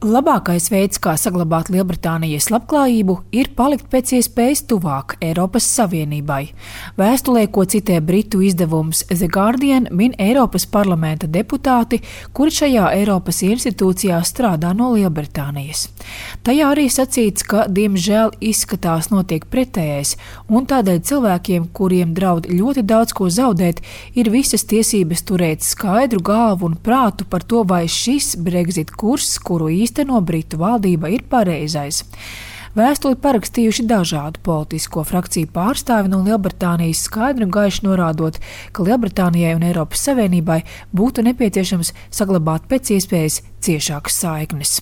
Labākais veids, kā saglabāt Lielbritānijas labklājību, ir palikt pēc iespējas tuvāk Eiropas Savienībai. Vēstulē, ko citē britu izdevums The Guardian, min Eiropas parlamenta deputāti, kuri šajā Eiropas institūcijā strādā no Lielbritānijas. Tajā arī sacīts, ka, diemžēl, izskatās notiek pretējais, un tādēļ cilvēkiem, kuriem draud ļoti daudz ko zaudēt, ir visas tiesības turēt skaidru galvu un prātu par to, vai šis Brexit kurs, kuru īsteno Britu valdība, ir pareizais. Vēstuli parakstījuši dažādu politisko frakciju pārstāvi no Lielbritānijas, skaidri un gaiši norādot, ka Lielbritānijai un Eiropas Savienībai būtu nepieciešams saglabāt pēc iespējas ciešākas saiknes.